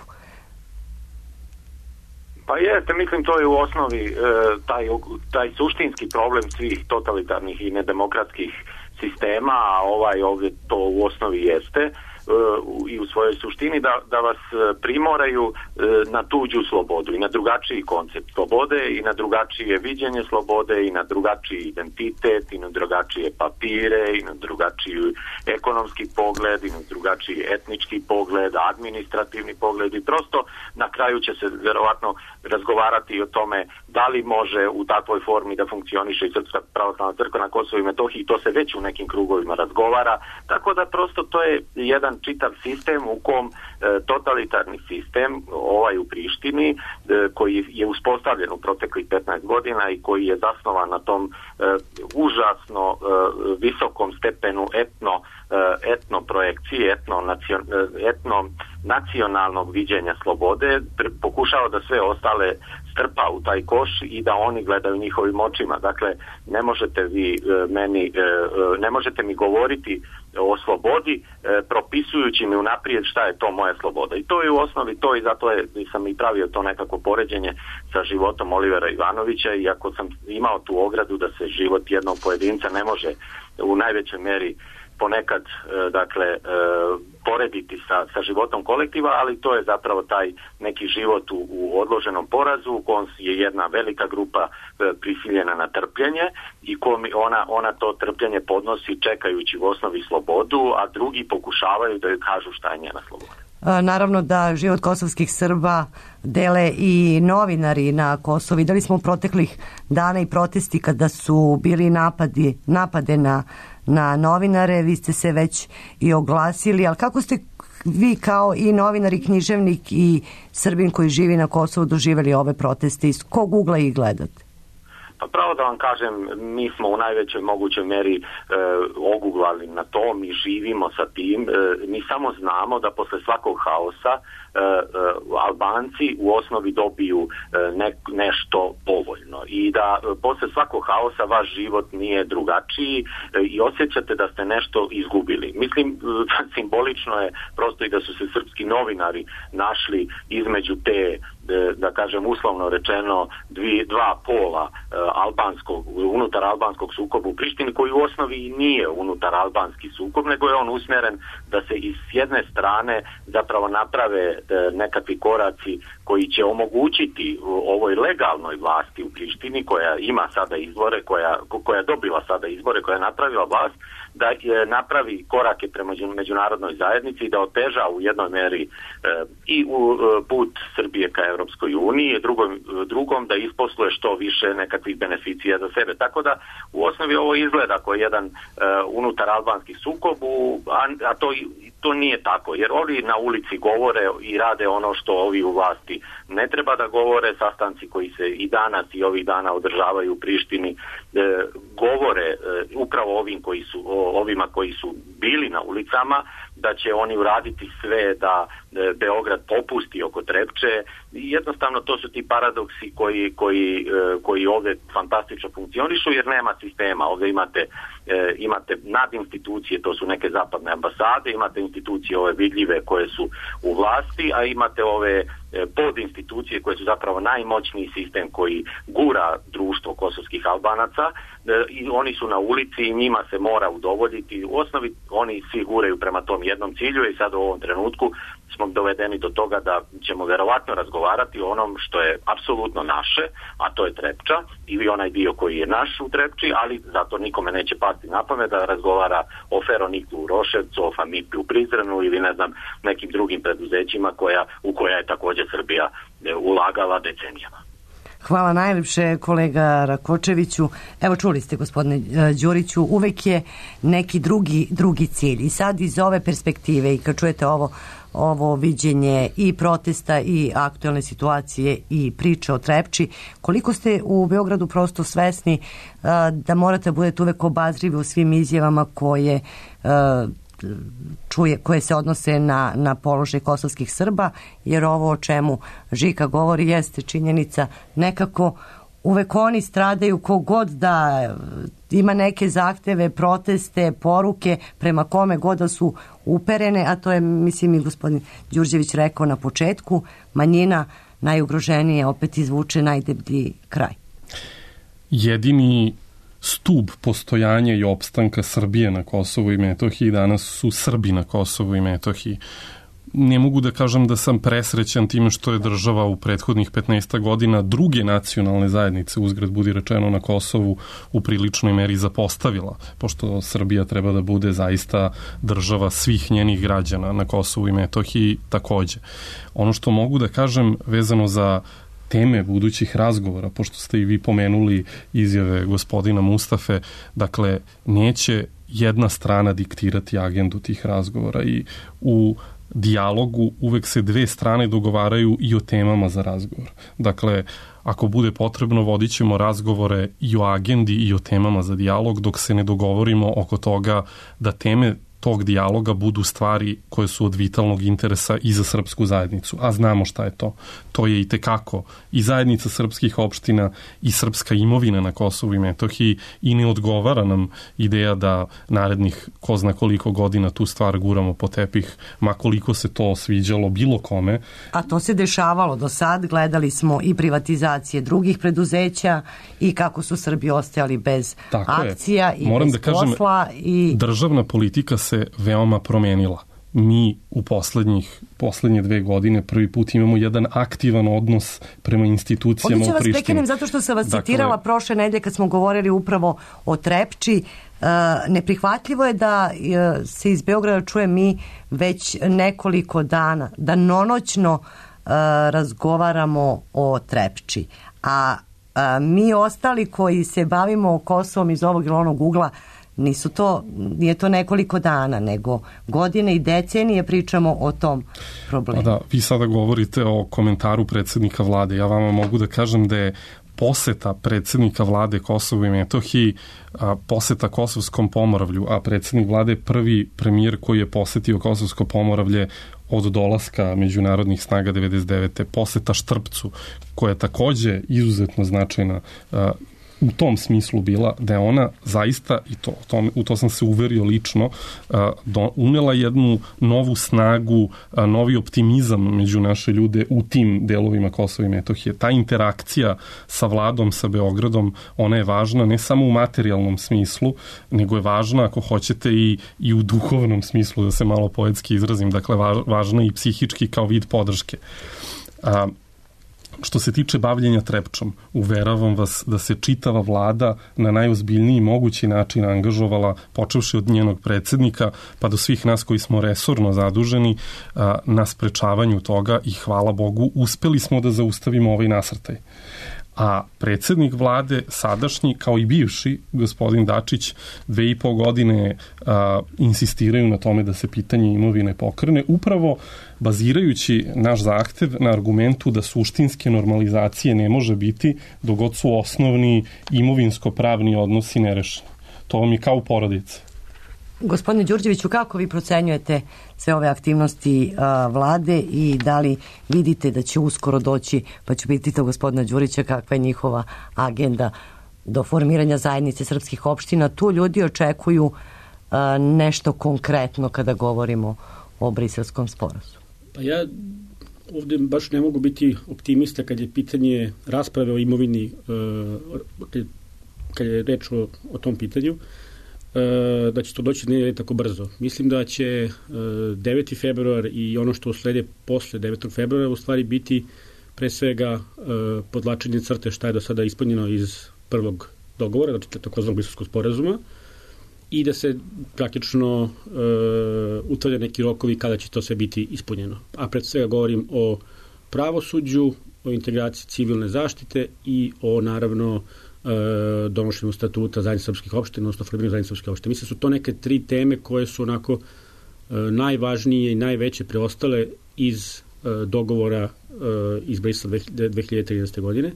Pa jeste, mislim to je u osnovi e, taj, taj suštinski problem svih totalitarnih i nedemokratskih sistema, a ovaj ovdje to u osnovi jeste i u svojoj suštini da, da vas primoraju na tuđu slobodu i na drugačiji koncept slobode i na drugačije viđenje slobode i na drugačiji identitet i na drugačije papire i na drugačiji ekonomski pogled i na drugačiji etnički pogled, administrativni pogled i prosto na kraju će se verovatno razgovarati o tome da li može u takvoj formi da funkcioniše i Srpska pravoslavna crkva na Kosovu i Metohiji. To se već u nekim krugovima razgovara, tako da prosto to je jedan čitav sistem u kom e, totalitarni sistem, ovaj u Prištini, e, koji je uspostavljen u proteklih petnaest godina i koji je zasnovan na tom e, užasno e, visokom stepenu etno, e, etno projekcije, etno, nacion, etno nacionalnog viđenja slobode, pre, pokušao da sve ostale strpa u taj koš i da oni gledaju njihovim očima. Dakle, ne možete vi e, meni, e, ne možete mi govoriti o slobodi e, propisujući mi unaprijed šta je to moja sloboda. I to je u osnovi to i zato je, sam i pravio to nekako poređenje sa životom Olivera Ivanovića, iako sam imao tu ogradu da se život jednog pojedinca ne može u najvećoj meri ponekad e, dakle e, porediti sa, sa životom kolektiva, ali to je zapravo taj neki život u, u odloženom porazu u kojem je jedna velika grupa e, prisiljena na trpljenje i kom ona, ona to trpljenje podnosi čekajući u osnovi slobodu, a drugi pokušavaju da joj kažu šta je njena sloboda. Naravno da život kosovskih Srba dele i novinari na Kosovu. Videli smo proteklih dana i protesti kada su bili napadi, napade na, na novinare. Vi ste se već i oglasili, ali kako ste vi kao i novinar i književnik i Srbin koji živi na Kosovu doživjeli ove proteste? Iz kog ugla ih gledate? Pa pravo da vam kažem, mi smo u najvećoj mogućoj meri e, oguglali na to, mi živimo sa tim, e, mi samo znamo da posle svakog haosa e, e, Albanci u osnovi dobiju e, ne, nešto povoljno i da e, posle svakog haosa vaš život nije drugačiji e, i osjećate da ste nešto izgubili. Mislim, e, simbolično je prosto i da su se srpski novinari našli između te, da kažem uslovno rečeno, dvi, dva pola albanskog, unutar albanskog sukoba u Prištini, koji u osnovi nije unutar albanski sukob, nego je on usmjeren da se iz jedne strane zapravo naprave nekakvi koraci koji će omogućiti ovoj legalnoj vlasti u Prištini, koja ima sada izbore, koja, koja je dobila sada izbore, koja je napravila vlast, da je napravi korake prema međunarodnoj zajednici i da oteža u jednoj meri e, i u e, put Srbije ka Europskoj uniji, drugom, drugom da isposluje što više nekakvih beneficija za sebe. Tako da u osnovi ovo izgleda kao jedan e, unutar albanski sukob, a, a to, to nije tako, jer ovi na ulici govore i rade ono što ovi u vlasti ne treba da govore. Sastanci koji se i danas i ovih dana održavaju u Prištini e, govore e, upravo ovim koji su o, ovima koji su bili na ulicama, da će oni uraditi sve da e, Beograd popusti oko Trepče. I jednostavno to su ti paradoksi koji, koji, e, koji ovdje fantastično funkcionišu, jer nema sistema. Ovdje imate, e, imate nad institucije, to su neke zapadne ambasade, imate institucije ove vidljive koje su u vlasti, a imate ove pod institucije koje su zapravo najmoćniji sistem koji gura društvo kosovskih Albanaca i oni su na ulici i njima se mora udovoljiti. U osnovi oni svi guraju prema tom jednom cilju i sad u ovom trenutku smo dovedeni do toga da ćemo verovatno razgovarati o onom što je apsolutno naše, a to je Trepča ili onaj dio koji je naš u Trepči, ali zato nikome neće pasti na pamet da razgovara o Feroniklu u Roševcu, o Famipi u Prizrenu ili ne znam nekim drugim preduzećima koja, u koja je također Srbija ulagala decenijama. Hvala najljepše, kolega Rakočeviću. Evo, čuli ste, gospodine Đuriću, uvek je neki drugi, drugi cilj. I sad iz ove perspektive i kad čujete ovo, ovo viđenje i protesta i aktualne situacije i priče o Trepči, koliko ste u Beogradu prosto svesni uh, da morate budete uvek obazrivi u svim izjavama koje uh, čuje, koje se odnose na, na položaj kosovskih Srba, jer ovo o čemu Žika govori jeste činjenica nekako uvek oni stradaju, kogod da ima neke zahteve, proteste, poruke prema kome god da su uperene, a to je, mislim, i gospodin Đurđević rekao na početku, manjina najugroženije opet izvuče najdeblji kraj. Jedini stub postojanja i opstanka Srbije na Kosovu i Metohiji danas su Srbi na Kosovu i Metohiji. Ne mogu da kažem da sam presrećan time što je država u prethodnih petnaest godina druge nacionalne zajednice, uzgred budi rečeno, na Kosovu u priličnoj meri zapostavila, pošto Srbija treba da bude zaista država svih njenih građana na Kosovu i Metohiji takođe. Ono što mogu da kažem vezano za teme budućih razgovora, pošto ste i vi pomenuli izjave gospodina Mustafe, dakle, neće jedna strana diktirati agendu tih razgovora i u dijalogu uvek se dve strane dogovaraju i o temama za razgovor. Dakle, ako bude potrebno, vodit ćemo razgovore i o agendi i o temama za dijalog, dok se ne dogovorimo oko toga da teme tog dijaloga budu stvari koje su od vitalnog interesa i za srpsku zajednicu. A znamo šta je to. To je i tekako i zajednica srpskih opština i srpska imovina na Kosovu i Metohiji i ne odgovara nam ideja da narednih ko zna koliko godina tu stvar guramo po tepih, ma koliko se to sviđalo bilo kome. A to se dešavalo do sad. Gledali smo i privatizacije drugih preduzeća i kako su Srbi ostajali bez Tako akcija je. i Moram bez da kažem, posla. I državna politika se veoma promenila. Mi u poslednjih, poslednje dve godine prvi put imamo jedan aktivan odnos prema institucijama u Prištini. Ovdje ću vas prekenem zato što sam vas dakle, citirala prošle nedelje kad smo govorili upravo o Trepči. Uh, neprihvatljivo je da uh, se iz Beograda čuje mi već nekoliko dana, da nonoćno uh, razgovaramo o Trepči. A uh, mi ostali koji se bavimo Kosovom iz ovog ili onog ugla, nisu to, nije to nekoliko dana, nego godine i decenije pričamo o tom problemu. Da, vi sada govorite o komentaru predsjednika vlade. Ja vama mogu da kažem da je poseta predsjednika vlade Kosovu i Metohiji, a, poseta Kosovskom Pomoravlju, a predsjednik vlade je prvi premijer koji je posetio Kosovsko Pomoravlje od dolaska međunarodnih snaga devedeset devete. Poseta Štrpcu, koja je takođe izuzetno značajna a, u tom smislu bila, da je ona zaista, i to, to u to sam se uverio lično, do, unela jednu novu snagu, novi optimizam među naše ljude u tim delovima Kosova i Metohije. Ta interakcija sa vladom, sa Beogradom, ona je važna ne samo u materijalnom smislu, nego je važna, ako hoćete, i, i u duhovnom smislu, da se malo poetski izrazim, dakle važna i psihički kao vid podrške. A, Što se tiče bavljenja Trepčom, uveravam vas da se čitava vlada na najozbiljniji mogući način angažovala, počevši od njenog predsjednika, pa do svih nas koji smo resorno zaduženi a, na sprečavanju toga i hvala Bogu, uspeli smo da zaustavimo ovaj nasrtaj. A predsjednik vlade, sadašnji, kao i bivši, gospodin Dačić, dve i po godine a, insistiraju na tome da se pitanje imovine pokrene, upravo bazirajući naš zahtev na argumentu da suštinske normalizacije ne može biti dok god su osnovni imovinsko-pravni odnosi nerešeni. To vam je kao u porodici. Gospodine Đurđeviću, kako vi procenjujete sve ove aktivnosti a, vlade i da li vidite da će uskoro doći, pa ću pitati gospodina Đurića kakva je njihova agenda do formiranja zajednice srpskih opština? Tu ljudi očekuju a, nešto konkretno kada govorimo o Briselskom sporazumu. Pa ja ovde baš ne mogu biti optimista kad je pitanje rasprave o imovini, kad je reč o, o tom pitanju, da će to doći ne tako brzo. Mislim da će deveti februar i ono što uslede posle devetog februara u stvari biti pre svega podlačenje crte šta je do sada ispunjeno iz prvog dogovora, znači takozvanog Briselskog sporazuma, i da se praktično uh, utvrde neki rokovi kada će to sve biti ispunjeno. A pred svega govorim o pravosuđu, o integraciji civilne zaštite i o, naravno, uh, donošenju statuta zajednice srpskih opština, odnosno formiranju zajednice srpskih opština. Mislim, su to neke tri teme koje su onako uh, najvažnije i najveće preostale iz uh, dogovora uh, iz Brisela dve hiljade trinaeste. godine.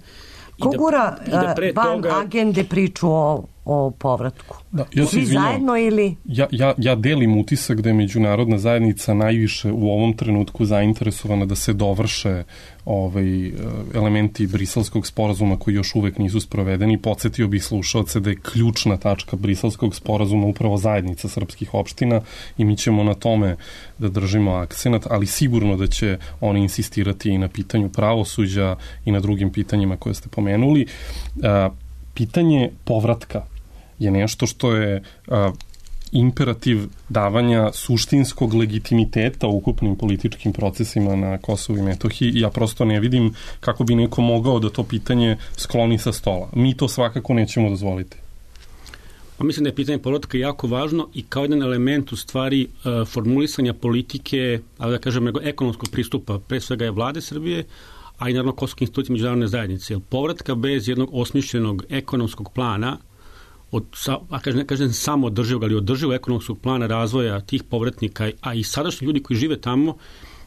Ko gura da, da van toga... agende priču o, o povratku? Da, ja se Svi izvinjam. zajedno ili... Ja, ja, ja delim utisak da je međunarodna zajednica najviše u ovom trenutku zainteresovana da se dovrše ovaj, elementi briselskog sporazuma koji još uvek nisu sprovedeni. Podsjetio bih slušalce da je ključna tačka briselskog sporazuma upravo zajednica srpskih opština i mi ćemo na tome da držimo akcenat, ali sigurno da će oni insistirati i na pitanju pravosuđa i na drugim pitanjima koje ste pomenuli. Pitanje povratka je nešto što je a, imperativ davanja suštinskog legitimiteta u ukupnim političkim procesima na Kosovu i Metohiji i ja prosto ne vidim kako bi neko mogao da to pitanje skloni sa stola. Mi to svakako nećemo dozvoliti. Pa mislim da je pitanje povratka jako važno i kao jedan element u stvari uh, formulisanja politike, ali da kažem, ekonomskog pristupa, pre svega je vlade Srbije, a i naravno kosovske institucije međunarodne zajednice. Jer povratka bez jednog osmišljenog ekonomskog plana, od, a kažem, kažem samo održivog, ali održivog ekonomskog plana razvoja tih povratnika, a i sadašnji ljudi koji žive tamo,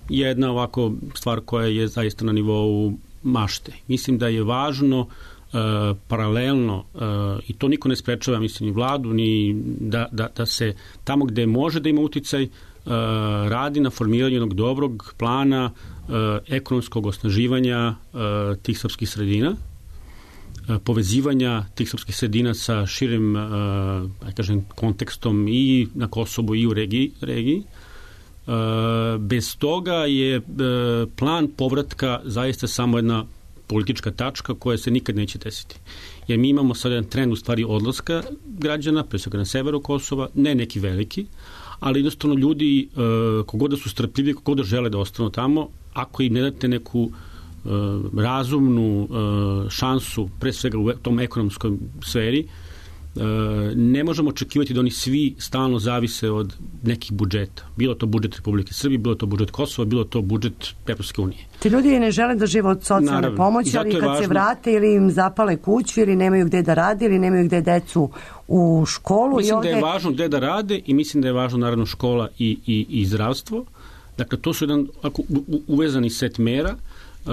je jedna ovako stvar koja je zaista na nivou mašte. Mislim da je važno uh, paralelno, uh, i to niko ne sprečava, mislim, ni vladu, ni da, da, da se tamo gde može da ima uticaj, Uh, radi na formiranju jednog dobrog plana uh, ekonomskog osnaživanja uh, tih srpskih sredina, uh, povezivanja tih srpskih sredina sa širim uh, aj kažem, kontekstom i na Kosovu i u regiji. regiji. Uh, bez toga je uh, plan povratka zaista samo jedna politička tačka koja se nikad neće desiti. Jer mi imamo sad jedan trend u stvari odlaska građana, pre svega na severu Kosova, ne neki veliki, ali jednostavno ljudi, uh, kogod da su strpljivi, kogod da žele da ostanu tamo, ako im ne date neku uh, razumnu uh, šansu, pre svega u tom ekonomskoj sferi, uh, ne možemo očekivati da oni svi stalno zavise od nekih budžeta. Bilo to budžet Republike Srbije, bilo to budžet Kosova, bilo to budžet Evropske unije. Ti ljudi ne žele da žive od socijalne Naravno, pomoći, ali kad važno... se vrate ili im zapale kuću ili nemaju gde da radi ili nemaju gde decu u školu. Mislim i ovde... da je važno gde da rade i mislim da je važno naravno škola i, i, i zdravstvo. Dakle, to su jedan ako, u, uvezani set mera uh,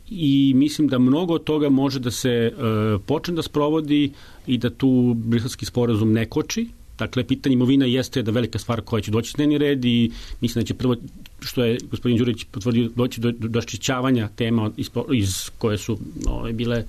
i mislim da mnogo od toga može da se uh, počne da sprovodi i da tu briselski sporazum ne koči. Dakle, pitanje imovina jeste da velika stvar koja će doći na dnevni red i mislim da će prvo, što je gospodin Đurić potvrdio, doći do, do raščišćavanja tema iz, iz koje su ove, bile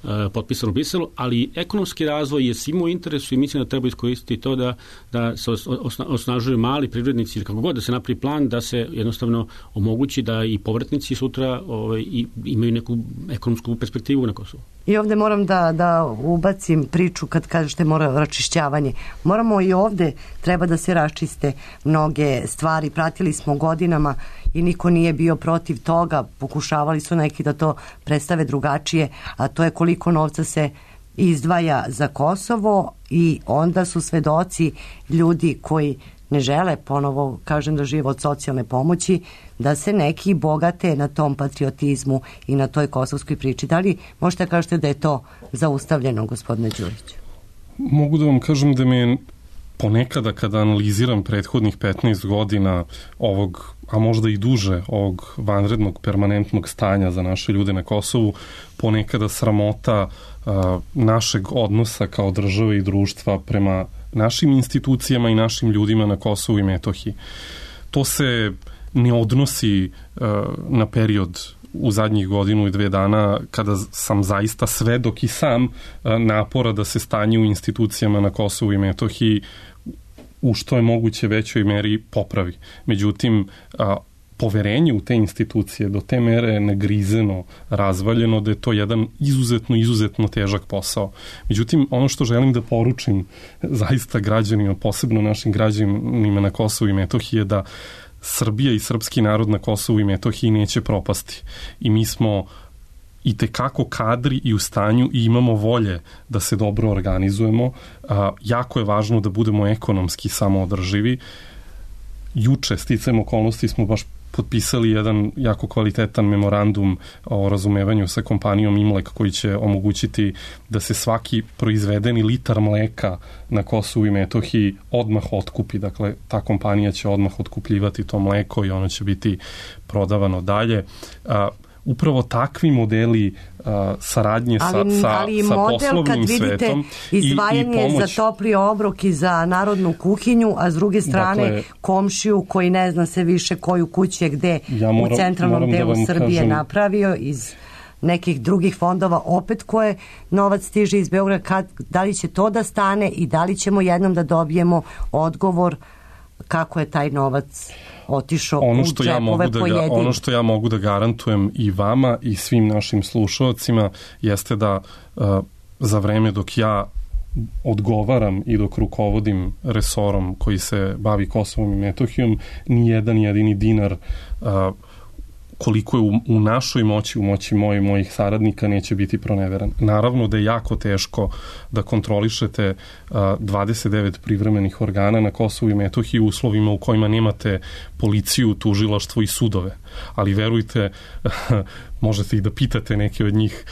uh, potpisane u Briselu, ali ekonomski razvoj je svima u interesu i mislim da treba iskoristiti to da, da se osna, osnažuju mali privrednici ili kako god da se napravi plan da se jednostavno omogući da i povratnici sutra ove, i, imaju neku ekonomsku perspektivu na Kosovu. I ovde moram da, da ubacim priču kad kažete mora raščišćavanje. Moramo i ovde, treba da se raščiste mnoge stvari. Pratili smo godinama i niko nije bio protiv toga. Pokušavali su neki da to predstave drugačije, a to je koliko novca se izdvaja za Kosovo i onda su svedoci ljudi koji ne žele, ponovo kažem, da žive od socijalne pomoći, da se neki bogate na tom patriotizmu i na toj kosovskoj priči. Da li možete kažete da je to zaustavljeno, gospodine Đuriću? Mogu da vam kažem da me ponekada kada analiziram prethodnih petnaest godina ovog, a možda i duže, ovog vanrednog permanentnog stanja za naše ljude na Kosovu, ponekada sramota a, našeg odnosa kao države i društva prema našim institucijama i našim ljudima na Kosovu i Metohiji. To se ne odnosi uh, na period u zadnjih godinu i dve dana kada sam zaista svedok i sam uh, napora da se stanje u institucijama na Kosovu i Metohiji u što je moguće većoj meri popravi. Međutim, uh, poverenje u te institucije do te mere je negrizeno, razvaljeno, da je to jedan izuzetno, izuzetno težak posao. Međutim, ono što želim da poručim zaista građanima, posebno našim građanima na Kosovu i Metohiji je da Srbija i srpski narod na Kosovu i Metohiji neće propasti. I mi smo i tekako kadri i u stanju i imamo volje da se dobro organizujemo. A, jako je važno da budemo ekonomski samoodrživi. Juče, sticajem okolnosti, smo baš potpisali jedan jako kvalitetan memorandum o razumevanju sa kompanijom Imlek koji će omogućiti da se svaki proizvedeni litar mleka na Kosovu i Metohiji odmah otkupi. Dakle, ta kompanija će odmah otkupljivati to mleko i ono će biti prodavano dalje. upravo takvi modeli uh, saradnje ali, sa, sa, ali sa model, poslovnim kad vidite svetom izdvajanje i, i pomoć... za topli obrok i za narodnu kuhinju, a s druge strane dakle, komšiju koji ne zna se više koju kuću je gde ja moram, u centralnom delu da Srbije kažem, napravio iz nekih drugih fondova, opet koje novac stiže iz Beograda, kad, da li će to da stane i da li ćemo jednom da dobijemo odgovor kako je taj novac otišao ono u što ja mogu džepove da ga, pojedini. ono što ja mogu da garantujem i vama i svim našim slušalcima jeste da uh, za vreme dok ja odgovaram i dok rukovodim resorom koji se bavi Kosovom i Metohijom, ni jedan jedini dinar uh, koliko je u, u našoj moći, u moći moje mojih saradnika neće biti proneveran. Naravno da je jako teško da kontrolišete uh, dvadeset devet privremenih organa na Kosovu i Metohiji u uslovima u kojima nemate policiju, tužilaštvo i sudove. Ali verujte, možete i da pitate neke od njih,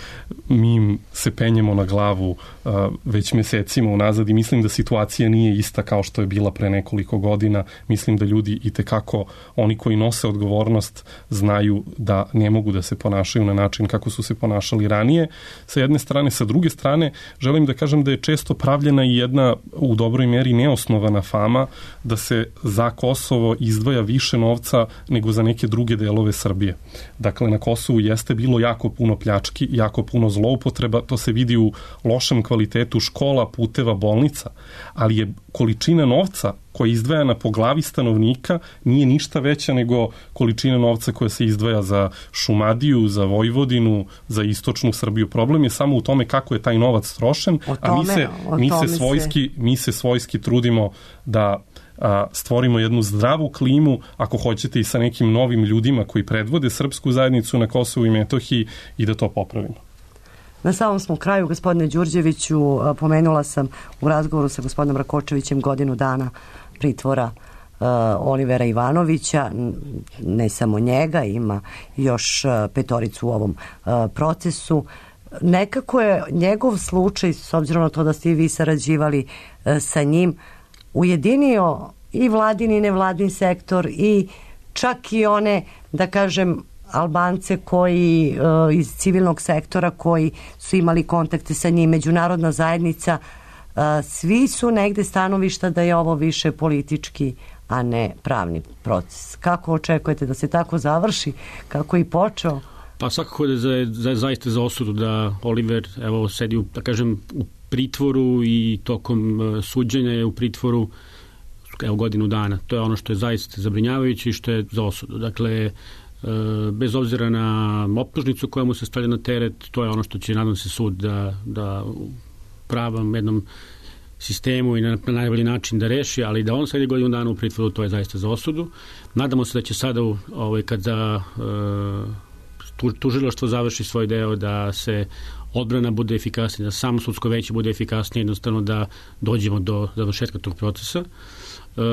mi im se penjemo na glavu uh, već mesecima unazad i mislim da situacija nije ista kao što je bila pre nekoliko godina. Mislim da ljudi i tekako, oni koji nose odgovornost, znaju da ne mogu da se ponašaju na način kako su se ponašali ranije. Sa jedne strane, sa druge strane, želim da kažem da je često pravljena i jedna u dobroj meri neosnovana fama da se za Kosovo izdvaja više novca nego za neke druge delove Srbije. Dakle, na Kosovu jeste bilo jako puno pljački, jako puno zloupotreba, to se vidi u lošem kvalitetu škola, puteva, bolnica, ali je količina novca koja je izdvajana po glavi stanovnika nije ništa veća nego količina novca koja se izdvaja za Šumadiju, za Vojvodinu, za istočnu Srbiju. Problem je samo u tome kako je taj novac trošen, tome, a mi se, mi se, svojski, mi se svojski trudimo da a, stvorimo jednu zdravu klimu, ako hoćete i sa nekim novim ljudima koji predvode srpsku zajednicu na Kosovu i Metohiji i da to popravimo. Na samom smo kraju, gospodine Đurđeviću, pomenula sam u razgovoru sa gospodinom Rakočevićem godinu dana pritvora uh, Olivera Ivanovića, ne samo njega, ima još uh, petoricu u ovom uh, procesu. Nekako je njegov slučaj, s obzirom na to da ste i vi sarađivali uh, sa njim, ujedinio i vladin i nevladin sektor i čak i one, da kažem, Albance koji uh, iz civilnog sektora koji su imali kontakte sa njim, međunarodna zajednica, uh, svi su negde stanovišta da je ovo više politički, a ne pravni proces. Kako očekujete da se tako završi? Kako je i počeo? Pa svakako da je za, za, zaista za osudu da Oliver evo sedi u, da kažem, u pritvoru i tokom uh, suđenja je u pritvoru evo godinu dana. To je ono što je zaista zabrinjavajuće i što je za osudu. Dakle, bez obzira na optužnicu koja mu se stavlja na teret, to je ono što će, nadam se, sud da, da u pravom jednom sistemu i na, na najbolji način da reši, ali da on sedi godinu dana u pritvoru, to je zaista za osudu. Nadamo se da će sada, ovaj, kada uh, tužilaštvo završi svoj deo, da se odbrana bude efikasnija, da samo sudsko veće bude efikasnije, jednostavno da dođemo do završetka tog procesa. Uh,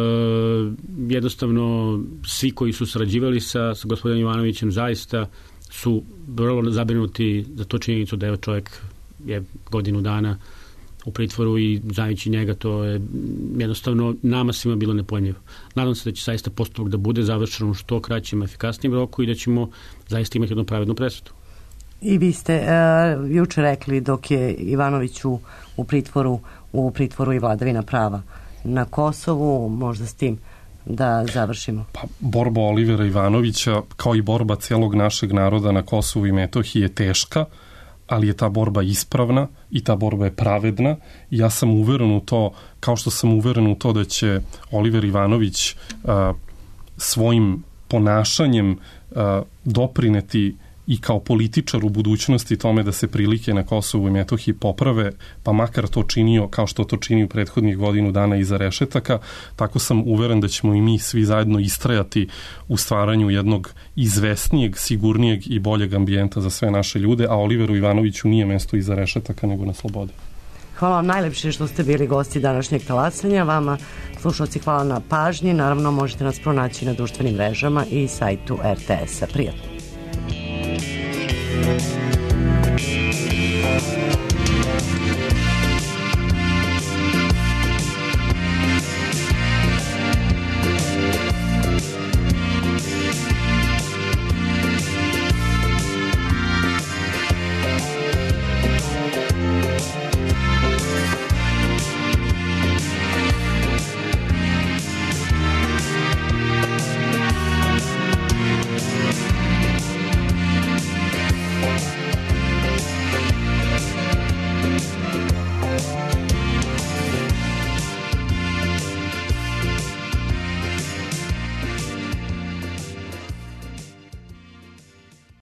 jednostavno svi koji su sarađivali sa, sa gospodinom Ivanovićem zaista su vrlo zabrinuti za to činjenicu da je čovjek je godinu dana u pritvoru i znajući njega to je jednostavno nama svima bilo nepojmljivo. Nadam se da će zaista postupak da bude završen u što kraćem efikasnijem roku i da ćemo zaista imati jednu pravednu presudu. I vi ste uh, juče rekli dok je Ivanović u, u pritvoru u pritvoru i vladavina prava na Kosovu, možda s tim da završimo. Pa, borba Olivera Ivanovića, kao i borba celog našeg naroda na Kosovu i Metohiji je teška, ali je ta borba ispravna i ta borba je pravedna i ja sam uveren u to, kao što sam uveren u to da će Oliver Ivanović a, svojim ponašanjem a, doprineti i kao političar u budućnosti tome da se prilike na Kosovu i Metohiji poprave, pa makar to činio kao što to čini u prethodnih godinu dana iza rešetaka, tako sam uveren da ćemo i mi svi zajedno istrajati u stvaranju jednog izvesnijeg, sigurnijeg i boljeg ambijenta za sve naše ljude, a Oliveru Ivanoviću nije mesto iza rešetaka nego na slobodi. Hvala vam najlepše što ste bili gosti današnjeg talasanja. Vama, slušalci, hvala na pažnji. Naravno, možete nas pronaći na društvenim mrežama i sajtu er te esa. Prijatno.